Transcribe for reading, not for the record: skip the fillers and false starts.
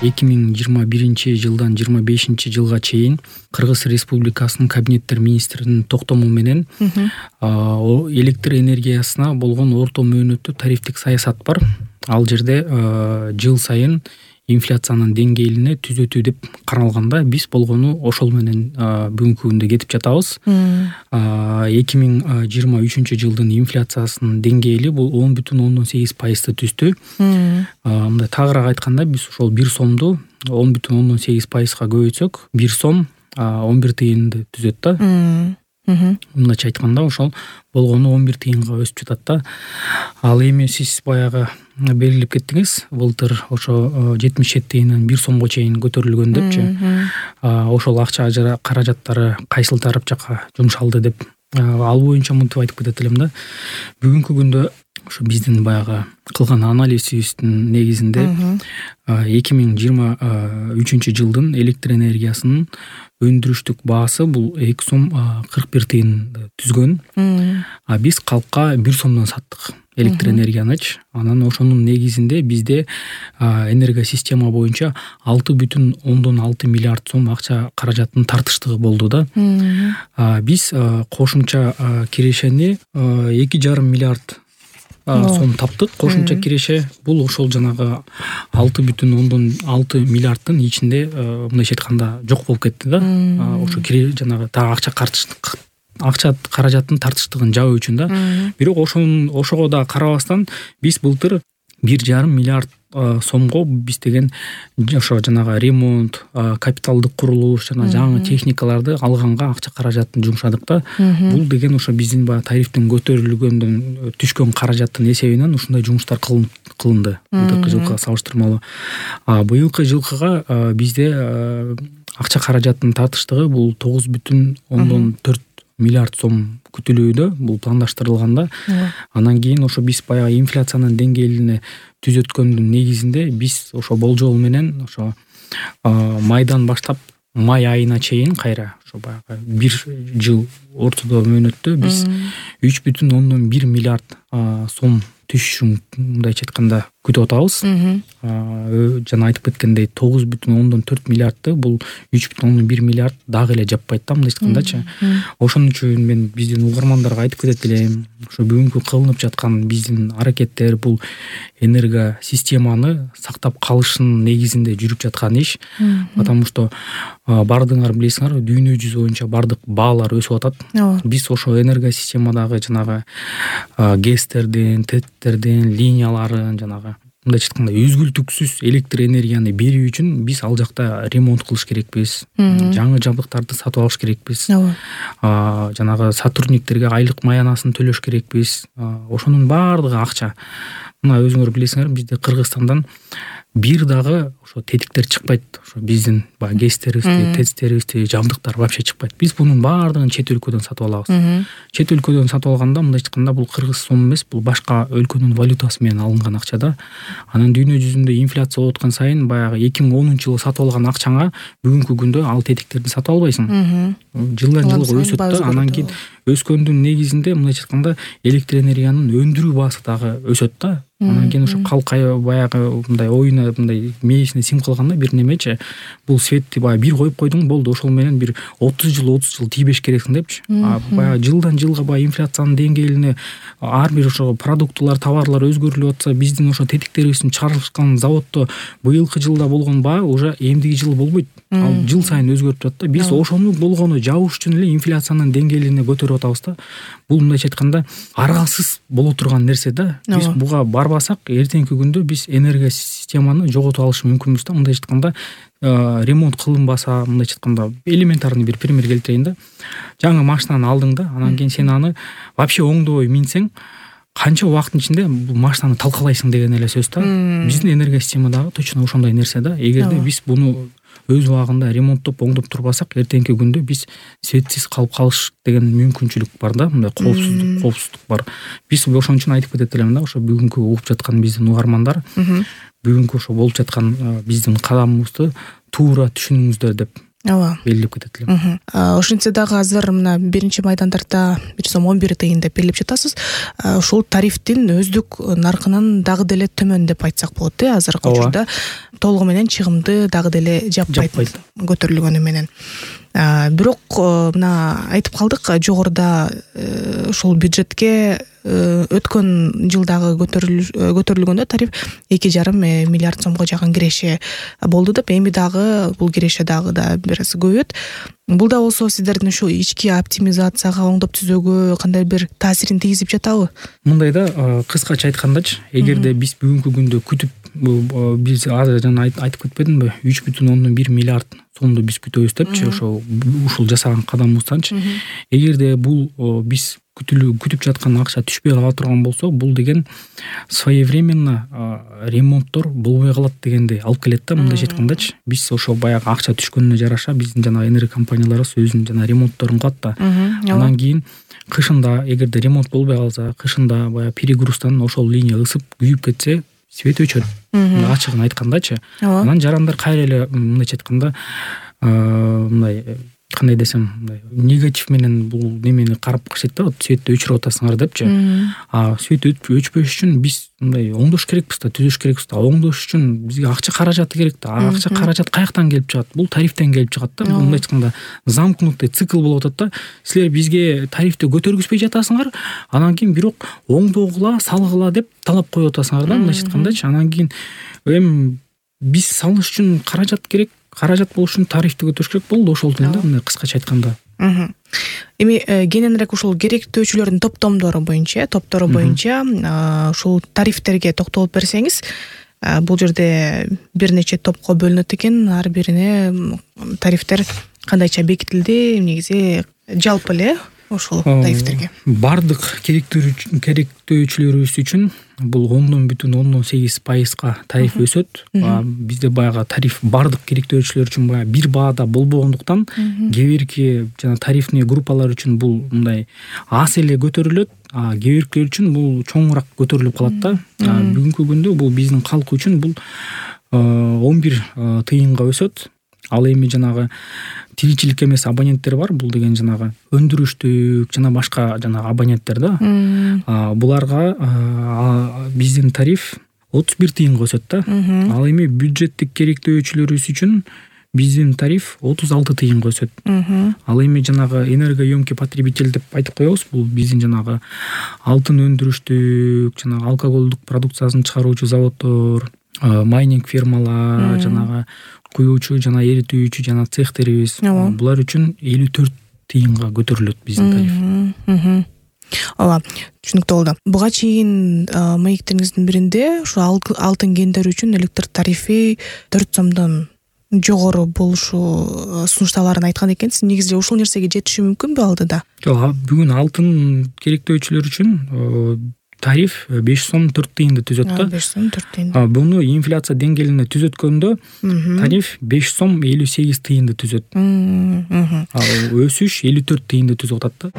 2021-жылдан 25-жылга чейин Кыргыз Республикасынын Кабинеттер министринин токтому менен электр энергиясына болгон орто мөөнөттүү тарифтик саясат бар. Ал жерде жыл сайын инфляциянын деңгээлине түзөтүү деп каралганда, биз болгону ошол менен бүгүнкү күндө кетип жатабыз. 2023-жылдын инфляциясынын деңгээли бул 10,8% түздү. Мындай тагыраак айтканда, биз ошол 1 сомду 10,8%га көбөйтсөк, 1 сом 11 тыйынды түзөт да. Мындайча айтканда, ошол болгону 11 тыйынга өсүп жатат да. Ал эми сиз баягы белгилеп кеттиңиз, былтыр ошо 77 тыйындан 1 сомго чейин көтөрүлгөн депчи. Ошол акча каражаттары кайсыл тарап жакка жумшалды деп, ал боюнча мынтип айтып кетет элем да. Бүгүнкү күндө ошо биздин баягы кылган анализибиздин негизинде 2023-жылдын электр энергиясынын өндүрүштүк баасы бул 2 сом 41 тыйынды түзгөн. Биз калкка 1 сомдон саттык электр энергиянычы. Анан ошонун негизинде бизде энергосистема боюнча 6,6 миллиард сом акча каражаттын тартыштыгы болду да. Биз кошумча кирешени 2,5 миллиард сом таптык. Кошумча киреше бул ошол жанагы 6,6 миллиарддын ичинде мындайча айтканда жок болуп кетти да. Ошо жанагы акча каражаттын тартыштыгын жабуу үчүн да. Бирок ошого да карабастан биз былтыр 1,5 миллиард сомго биз деген ошо жанагы ремонт, капиталдык курулуш жана жаңы техникаларды алганга акча каражатын жумшадык да. Бул деген ошо биздин баягы тарифтин көтөрүлгөндөн түшкөн каражаттын эсебинен ушундай жумуштар кылынды былтыркы жылкыга салыштырмалуу. Быйылкы жылкыга бизде акча каражаттын тартыштыгы бул 9,4 миллиард сом күтүлүүдө, бул пландаштырылганда. Анан кийин ошо биз баягы инфляциянын деңгээлине түзөткөндүн негизинде биз ошо болжол менен ошо майдан баштап май айына чейин кайра ошо баягы 1 жыл ортодо мөөнөттө биз 3,1 миллиард сом түшүшүн мындайча айтканда күтүп атабыз. Жана айтып кеткендей 9,4 миллиардты бул 3,1 миллиард дагы эле жаппайт да, мындайча айткандачы. Ошон үчүн мен биздин угармандарга айтып кетет элем, ошо бүгүнкү кылынып жаткан биздин аракеттер бул энергосистеманы сактап калыштын негизинде жүрүп жаткан иш. Потому что бардыгыңар билесиңер, дүйнө жүзү боюнча бардык баалар өсүп атат. Биз ошо энергосистемадагы жанагы гэстердин, теттердин, линияларын жанагы мындайча айтканда үзгүлтүксүз электр энергияны берүү үчүн биз ал жакта ремонт кылыш керекпиз. Жаңы жабдыктарды сатып алыш керекпиз. Жанагы сотрудниктерге айлык маянасын төлөш керекпиз. Ошонун баардыгы акча. Мына өзүңөр билесиңер, бизде Кыргызстандан бир дагы ошо тетиктер чыкпайт. Ошо биздин баягы гэстерибизди, тестерибизди, жабдыктар вообще чыкпайт. Биз бунун баардыгын чет өлкөдөн сатып алабыз. Чет өлкөдөн сатып алганда мындайча айтканда бул кыргыз сом эмес, бул башка өлкөнүн валютасы менен алынган акча да. Анан дүйнө жүзүндө инфляция болуп аткан сайын баягы 2010-жылы сатып алган акчаңа бүгүнкү күндө ал тетиктерди сатып албайсың. Жылдан жылга өсөт да. Анан кийин өскөндүн негизинде мындайча айтканда электр энергиянын өндүрүү баасы дагы өсөт да. Анан кийин ошо калкай баягы мындай оюна мындай мээсине сиңип калганда бир немечи, бул светти баягы бир коюп койдуң, болду, ошол менен бир 30 жыл тийбеш керексиң депчи. Баягы жылдан жылга баягы инфляциянын деңгээлине ар бир ошо продуктулар, товарлар өзгөрүлүп атса, биздин ошо тетиктерибиздин чыгарылышкан заводдо быйылкы жылда болгон баа уже эмдиги жыл болбойт. Ал жыл сайын өзгөрүп турат да. Биз ошону болгону жабыш үчүн эле инфляциянын деңгээлине көтөрүп атабыз да. Бул мындайча айтканда аргасыз боло турган нерсе да. Биз буга барбасак, эртеңки күндө биз энергосистеманы жоготуп алышы мүмкүнбүз да. Мындайча айтканда ремонт кылынбаса, мындайча айтканда элементарный бир пример келтирейин да. Жаңы машинаны алдың да, анан кийин сен аны вообще оңдобой минсең, канча убакыттын ичинде бул машинаны талкалайсың деген эле сөз да. Биздин энергосистемадагы точно ошондой нерсе да. Эгерде биз буну өз убагында ремонттоп, оңдоп турбасак, эртеңки күндө биз светсиз калып калыш деген мүмкүнчүлүк бар да, мындай коопсуздук бар. Биз ошон үчүн айтып кетет элем да, ошо бүгүнкү угуп жаткан биздин угармандар, бүгүнкү ошо болуп жаткан биздин кадамыбызды туура түшүнүңүздөр деп ооба белгилеп кетет элем. Ошентсе дагы азыр мына 1-майдандарда 1 сом 11 тыйын деп белгилеп жатасыз. Ушул тарифтин өздүк наркынын дагы деле төмөн деп айтсак болот азыркы учурда толугу менен чыгымды дагы деле жаппайт көтөрүлгөнү менен. Бирок мына айтып калдык жогоруда ушул бюджетке өткөн жылдагы көтөрүлгөндө тариф 2,5 миллиард сомго жакын киреше болду деп, эми дагы бул киреше дагы да бир аз көбөйөт. Бул да болсо сиздердин ушул ички оптимизацияга, оңдоп түзүүгө кандай бир таасирин тийгизип жатабы? Мындай да, кыскача айткандачы, эгерде биз бүгүнкү күндө күтүп биз жана айтып кетпедимби, 3,1 миллиард сомду биз күтөбүз депчи, ушул жасаган кадамыбызданчы. Эгерде бул биз күтүп жаткан акча түшпөй кала турган болсо, бул деген своевременно ремонттор болбой калат дегенди алып келет да. Мындайча айткандачы, биз ошо баягы акча түшкөнүнө жараша биздин жана энерго компанияларыбыз өзүнүн жана ремонтторун кылат да. Анан кийин кышында эгерде ремонт болбой калса, кышында баягы перегруздан ошол линия ысып күйүп кетсе, свет өчөт. Ачыгын айткандачы. Анан жарандар кайра эле мындайча айтканда мындай кандай десем, негатив менен бул немени карап калышат да, светти өчүрүп атасыңар депчи. Свет өчпөш үчүн биз мындай оңдош керекпиз да, түзөш керекпиз да. Оңдош үчүн бизге акча каражаты керек да. Акча каражат каяктан келип чыгат? Бул тарифтен келип чыгат да. Мындай айтканда замкнутый цикл болуп атат да. Силер бизге тарифти көтөргүзбөй жатасыңар, анан кийин бирок оңдогула, салгыла деп талап коюп атасыңар да, мындай айткандачы. Анан кийин эми биз салыш үчүн каражат керек. Каражат болуш үчүн тарифти көтөрүш керек болду, ошол да, мындай кыскача айтканда. Эми кененирээк ушул керектөөчүлөрдүн топтору боюнча ушул тарифтерге токтолуп берсеңиз, бул жерде бир нече топко бөлүнөт экен, ар бирине тарифтер кандайча бекитилди, негизи жалпы эле ошол тарифтерге. Бардык керектөөчүлөрүбүз үчүн бул 10,8% тариф өсөт. Бизде баягы тариф бардык керектөөчүлөр үчүн баягы бир баада болбогондуктан, кээ бирки жана тарифный группалар үчүн бул мындай аз эле көтөрүлөт, кээ биркилер үчүн бул чоңураак көтөрүлүп калат да. Бүгүнкү күндө бул биздин калк үчүн бул 11 тыйынга өсөт. Ал эми жанагы тиричилик эмес абоненттер бар, бул деген жанагы өндүрүштүк жана башка жанагы абоненттер да. Буларга биздин тариф 31 тыйынга өсөт да. Ал эми бюджеттик керектөөчүлөрүбүз үчүн биздин тариф 36 тыйынга өсөт. Ал эми жанагы энергоемкий потребитель деп айтып коебуз. Бул биздин жанагы алтын өндүрүштүк, жанагы алкоголдук продукциясын чыгаруучу заводдор, майнинг фирмалар, жанагы куюучу жана эритүүчү жана цехтерибиз, булар үчүн 54 тыйынга көтөрүлөт биздин тариф. Ооба, түшүнүктүү болду. Буга чейин маектериңиздин биринде ушу алтын кендер үчүн электр тарифи 4 сомдон жогору болушу сунушталарын айткан экенсиз. Негизи ушул нерсеге жетиши мүмкүнбү алдыда? Жок, бүгүн алтын керектөөчүлөр үчүн тариф 5 сом 4 тыйынды түзөт да. 5 сом 4 тыйын. Буну инфляция деңгээлине түзөткөндө тариф 5 сом 58 тыйынды түзөт. Өсүш 54 тыйынды түзүп атат да.